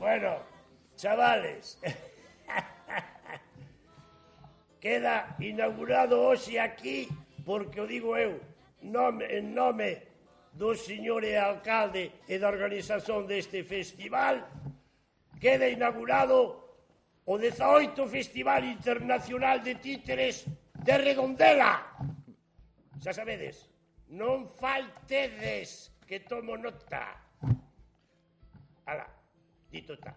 Bueno, chavales, queda inaugurado hoxe aquí, porque o digo eu, en nome do señor alcalde e da organización deste festival, queda inaugurado o 18 Festival Internacional de Títeres de Redondela. Xa sabedes, non faltedes, que tomo nota. Ala, dito está.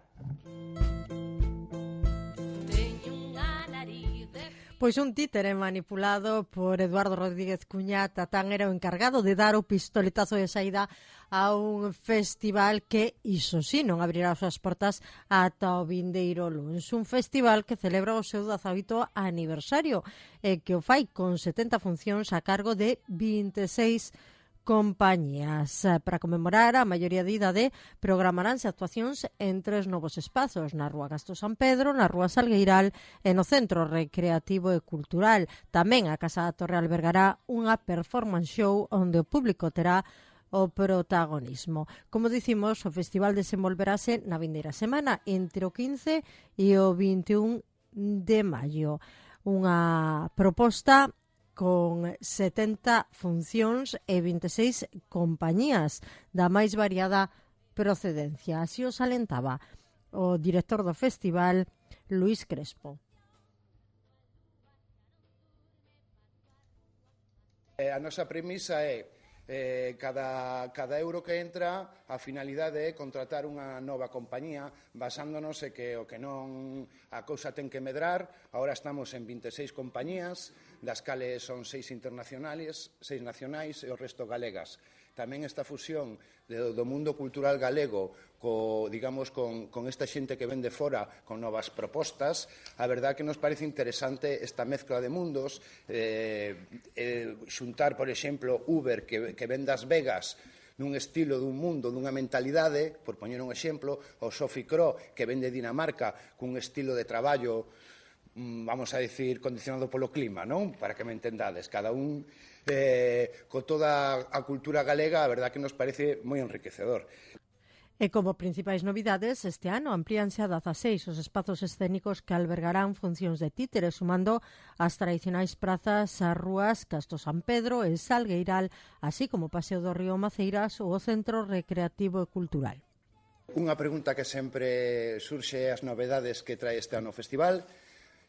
Pois un títere manipulado por Eduardo Rodríguez Cuñá Tatán era o encargado de dar o pistoletazo de saída a un festival que, iso sí, non abrirá as súas portas ata o vindeiro luns. Un festival que celebra o seu 18º aniversario e que o fai con 70 funcións a cargo de 26 compañías. Para conmemorar a maioría de idade, programaránse actuacións en 3 novos espazos, na Rúa Casto San Pedro, na Rúa Salgueiral e no Centro Recreativo e Cultural. Tamén a Casa da Torre albergará unha performance show onde o público terá o protagonismo. Como dicimos, o festival desenvolverase na vindeira semana entre o 15 e o 21 de maio. Unha proposta con 70 funcións e 26 compañías da máis variada procedencia. Así o salentaba o director do festival, Luís Crespo. A nosa premisa é cada euro que entra, a finalidade é contratar unha nova compañía basándonos en que o que non a cousa ten que medrar. Agora estamos en 26 compañías, das cales son 6 internacionales, 6 nacionais e o resto galegas. Tamén esta fusión do mundo cultural galego digamos, con esta xente que ven de fora con novas propostas, a verdad que nos parece interesante esta mezcla de mundos, xuntar, por exemplo, Uber, que ven das Vegas, nun estilo dun mundo, dunha mentalidade, por poñer un exemplo, o Sophie Cro, que ven de Dinamarca, cun estilo de traballo, vamos a decir, condicionado polo clima, non? Para que me entendades, cada un con toda a cultura galega, a verdad que nos parece moi enriquecedor. E como principais novidades, este ano amplíanse a 16 os espazos escénicos que albergarán funcións de títeres, sumando as tradicionais prazas as rúas Casto San Pedro e Salgueiral, así como o Paseo do Río Maceiras ou o Centro Recreativo e Cultural. Unha pregunta que sempre surxe as novedades que trae este ano o festival.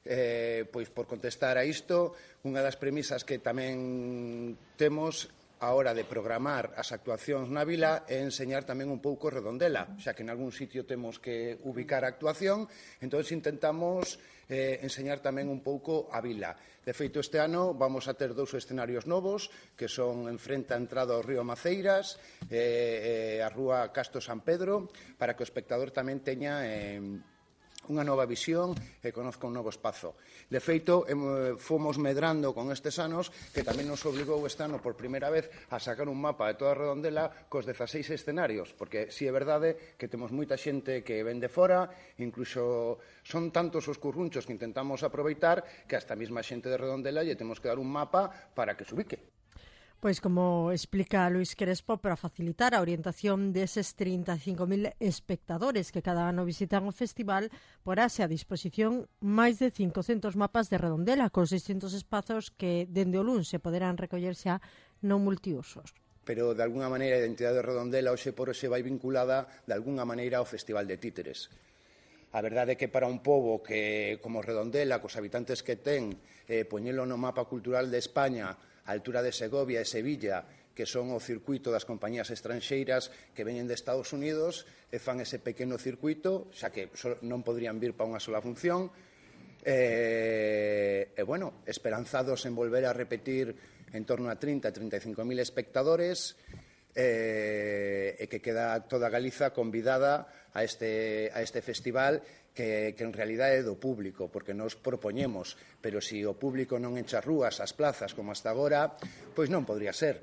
Pois por contestar a isto, unha das premisas que tamén temos a hora de programar as actuacións na vila é enseñar tamén un pouco Redondela, xa que en algún sitio temos que ubicar a actuación, entón intentamos enseñar tamén un pouco a vila. De feito, este ano vamos a ter 2 escenarios novos, que son en frente a entrada ao río Maceiras e a rúa Casto San Pedro, para que o espectador tamén teña unha nova visión e conozca un novo espazo. De feito, fomos medrando con estes anos, que tamén nos obligou este ano por primeira vez a sacar un mapa de toda a Redondela cos 16 escenarios, porque si é verdade que temos moita xente que ven de fora, incluso son tantos os currunchos que intentamos aproveitar que hasta a mesma xente de Redondela lle temos que dar un mapa para que se ubique. Pois como explica Luís Crespo, para facilitar a orientación deses 35.000 espectadores que cada ano visitan o festival, porase a disposición máis de 500 mapas de Redondela cos distintos espazos que dende o luns se poderán recoller xa no multiusos. Pero, de alguna maneira, a identidade de Redondela hoxe por hoxe vai vinculada de alguna maneira ao Festival de Títeres. A verdade é que para un pobo que, como Redondela, cos habitantes que ten, poñelo no mapa cultural de España, a altura de Segovia e Sevilla, que son o circuito das compañías estranxeiras que veñen de Estados Unidos e fan ese pequeno circuito, xa que non podrían vir para unha sola función, bueno, esperanzados en volver a repetir en torno a 30-35.000 espectadores, e que queda toda Galiza convidada a este festival que en realidade é do público, porque nos propoñemos, pero se o público non enche as rúas, as plazas, como hasta agora, pois non podría ser.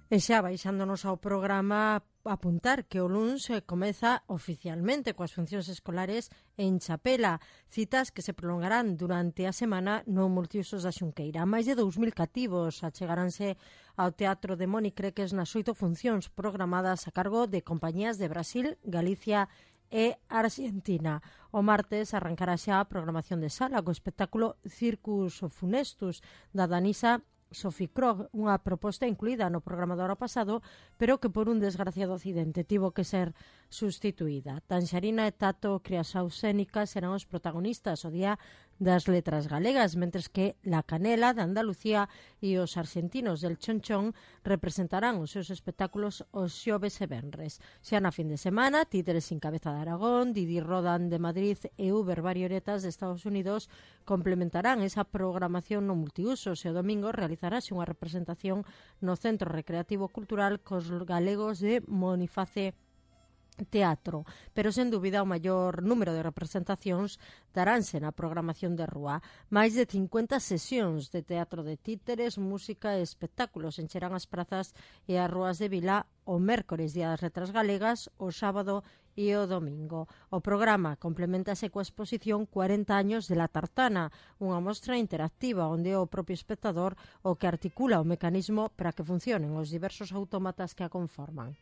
E xa baixándonos ao programa, apuntar que o luns comeza oficialmente coas funcións escolares en Chapela, citas que se prolongarán durante a semana no Multiusos da Xunqueira. Máis de 2.000 cativos achegaranse ao Teatro de Moni Creques nas 8 funcións programadas a cargo de compañías de Brasil, Galicia e Argentina. O martes arrancará xa a programación de sala co espectáculo Circus Funestus da danisa Sophie Krog, unha proposta incluída no programa do ano pasado, pero que por un desgraciado accidente tivo que ser sustituída. Tanxarina e Tato Criasausénica serán os protagonistas o día das letras galegas, mentres que La Canela de Andalucía e os argentinos del Chonchón representarán os seus espectáculos os xoves e venres. Xa na fin de semana, Títeres sin cabeza de Aragón, Didi Rodan de Madrid e Uber Varioretas de Estados Unidos complementarán esa programación no multiusos e o domingo realizarase unha representación no Centro Recreativo Cultural cos galegos de Moniface Teatro, pero sen dúbida o maior número de representacións daránse na programación de rúa. Máis de 50 sesións de teatro de títeres, música e espectáculos encherán as prazas e as rúas de Vila o mércores, día das letras galegas, o sábado e o domingo. O programa complementase coa exposición 40 años de La Tartana, unha mostra interactiva onde é o propio espectador o que articula o mecanismo para que funcionen os diversos autómatas que a conforman.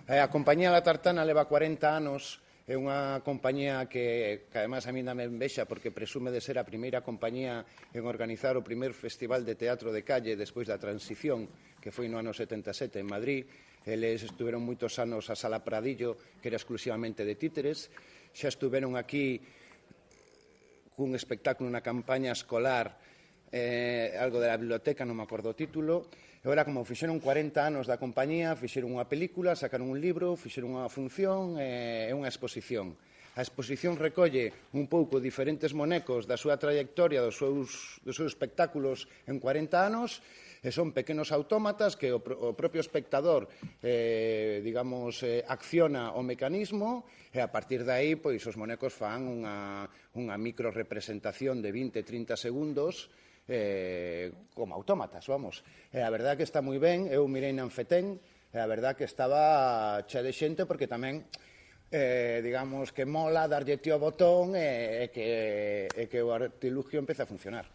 A compañía La Tartana leva 40 anos, é unha compañía que además a mí dame envexa porque presume de ser a primeira compañía en organizar o primer festival de teatro de calle despois da transición, que foi no ano 77 en Madrid. Eles estuveron moitos anos a Sala Pradillo, que era exclusivamente de títeres. Xa estuveron aquí cun espectáculo na campaña escolar, algo de la biblioteca, non me acordo o título. E ora, como fixeron 40 anos da compañía, fixeron unha película, sacaron un libro, fixeron unha función e unha exposición. A exposición recolle un pouco diferentes monecos da súa trayectoria, dos seus espectáculos en 40 anos, e son pequenos autómatas que o propio espectador acciona o mecanismo e a partir de aí pois, os monecos fan unha micro representación de 20-30 segundos como autómatas, vamos. E a verdad que está moi ben, eu mirei na Anfetén, e a verdad que estaba chea de xente porque tamén, digamos, que mola darlle tío ao botón e que o artilugio empece a funcionar.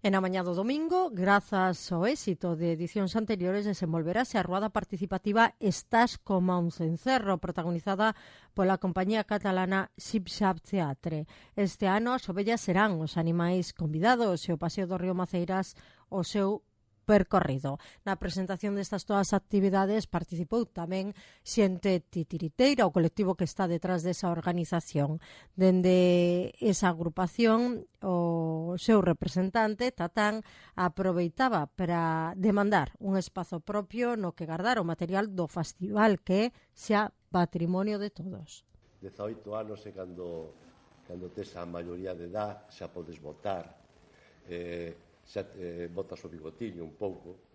E na mañá do domingo, grazas ao éxito de edicións anteriores, desenvolverase a ruada participativa Estás coma un cencerro, protagonizada pola compañía catalana Sipsap Teatre. Este ano as ovellas serán os animais convidados e o Paseo do Río Maceiras o seu percorrido. Na presentación destas todas as actividades participou tamén xente titiriteira, o colectivo que está detrás desa organización. Dende esa agrupación, o seu representante, Tatán, aproveitaba para demandar un espazo propio no que guardar o material do festival que é xa patrimonio de todos. 18 anos é cando tes a maioría de edad, xa podes votar, xa botas o bigotiño un pouco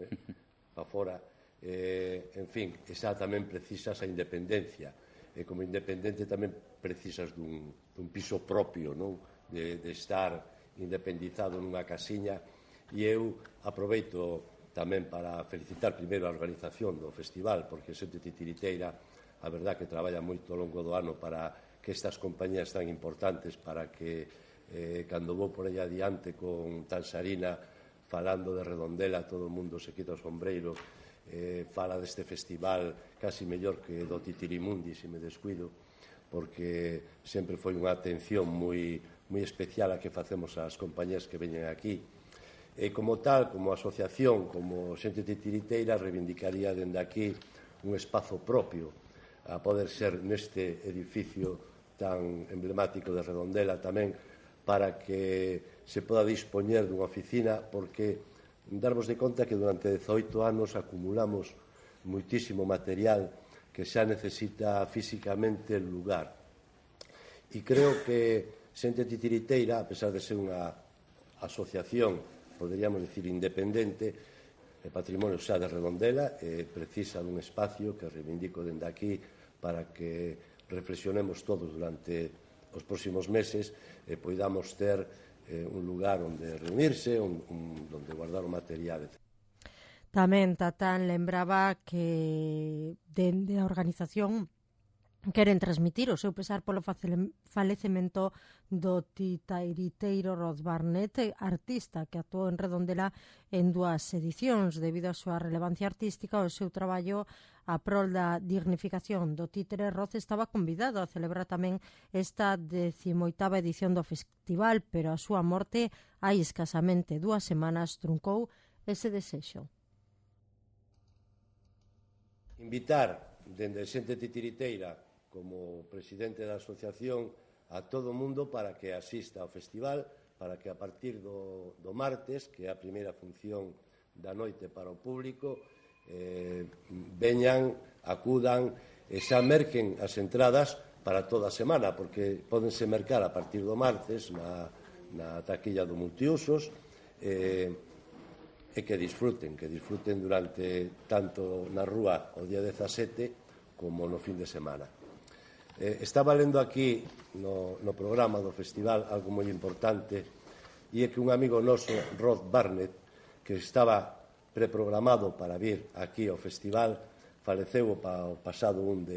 para fora, en fin, xa tamén precisas a independencia, e como independente tamén precisas dun piso propio, non? De estar independizado nunha casiña. E eu aproveito tamén para felicitar primeiro a organización do festival, porque xente titiriteira, a verdad que traballa moito ao longo do ano para que estas compañías tan importantes, para que cando vou por aí adiante con Tanxarina falando de Redondela, todo o mundo se quita o sombreiro, fala deste festival casi mellor que do Titirimundi, se me descuido, porque sempre foi unha atención moi especial a que facemos ás compañías que veñen aquí. E como tal, como asociación, como xente titiriteira, reivindicaría dende aquí un espazo propio a poder ser neste edificio tan emblemático de Redondela tamén, para que se poda dispoñer dunha oficina, porque darmos de conta que durante 18 anos acumulamos moitísimo material que xa necesita físicamente el lugar. E creo que xente titiriteira, a pesar de ser unha asociación, poderíamos dicir independente, o patrimonio xa de Redondela, precisa dun espacio que reivindico dende aquí para que reflexionemos todos durante os próximos meses e poidamos ter un lugar onde reunirse, onde guardar o material, etc. Tamén Tatán lembraba que dende a organización queren transmitir o seu pesar polo falecemento do titairiteiro Rod Barnett, artista que actuou en Redondela en 2 edicións. Debido á súa relevancia artística, o seu traballo a prol da dignificación do títere, Rod estaba convidado a celebrar tamén esta 18ª edición do festival, pero a súa morte hai escasamente 2 semanas truncou ese desexo. Invitar dende xente titiriteira como presidente da asociación a todo o mundo para que asista ao festival, para que a partir do martes, que é a primeira función da noite para o público, veñan, acudan e xa merquen as entradas para toda a semana, porque pódense mercar a partir do martes na taquilla do multiusos, e que disfruten durante tanto na rúa o día 17 como no fin de semana. Estaba lendo aquí no programa do festival algo moi importante, e é que un amigo noso, Rod Barnett, que estaba preprogramado para vir aquí ao festival, faleceu o pasado 1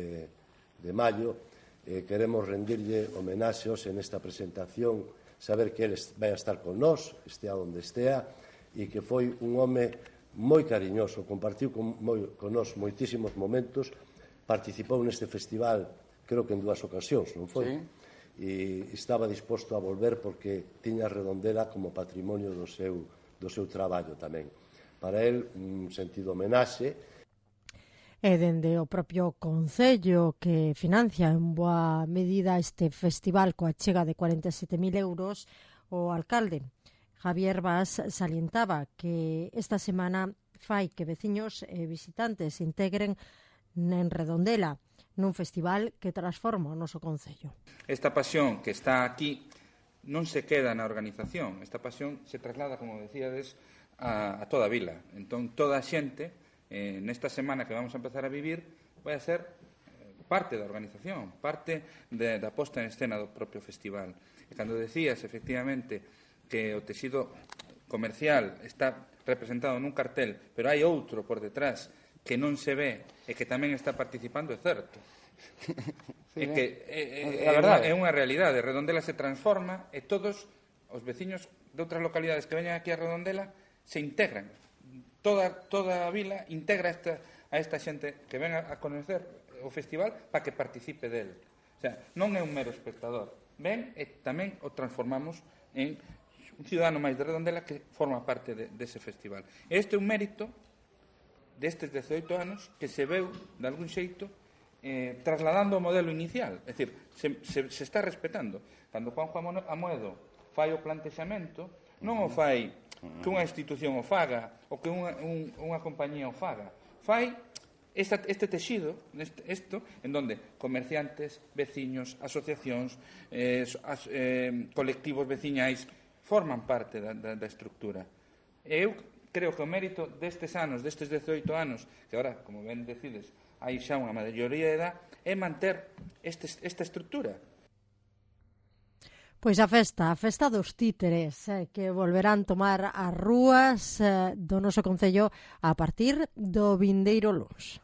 de maio. Queremos rendirlle homenaxeos en esta presentación, saber que ele vai a estar con nós, estea onde estea, e que foi un home moi cariñoso, compartiu con nós moitísimos momentos, participou neste festival creo que en 2 ocasións, non foi? Sí. E estaba disposto a volver porque tiña Redondela como patrimonio do seu traballo tamén. Para el, un sentido homenaxe. E dende o propio Concello, que financia en boa medida este festival coa chega de 47.000 euros, o alcalde Javier Bas salientaba que esta semana fai que veciños e visitantes se integren en Redondela, nun festival que transforma o noso concello. Esta pasión que está aquí non se queda na organización, esta pasión se traslada, como decíades, a toda a vila. Entón, toda a xente, nesta semana que vamos a empezar a vivir, vai a ser parte da organización, parte da posta en escena do propio festival. E cando decías, efectivamente, que o tecido comercial está representado nun cartel, pero hai outro por detrás que non se ve e que tamén está participando, é certo. Sí, é que é unha realidade. Redondela se transforma e todos os veciños de outras localidades que veñan aquí a Redondela se integran. Toda a vila integra a esta xente que ven a conocer o festival para que participe del. O sea, non é un mero espectador. Ven e tamén o transformamos en un cidadano máis de Redondela que forma parte dese festival. E este é un mérito destes 18 anos que se veu, de algún xeito, trasladando o modelo inicial. É dicir, se está respetando. Cando Juanjo Amoedo fai o plantexamento, non o fai que unha institución o faga ou que unha compañía o faga. Fai este texido, isto, en donde comerciantes, veciños, asociacións, colectivos veciñais forman parte da estructura. E eu creo que o mérito destes anos, destes 18 anos, que agora, como ben decides, hai xa unha maioría de edad, é manter esta estrutura. Pois a festa dos títeres, que volverán tomar as rúas do noso concello a partir do vindeiro luns.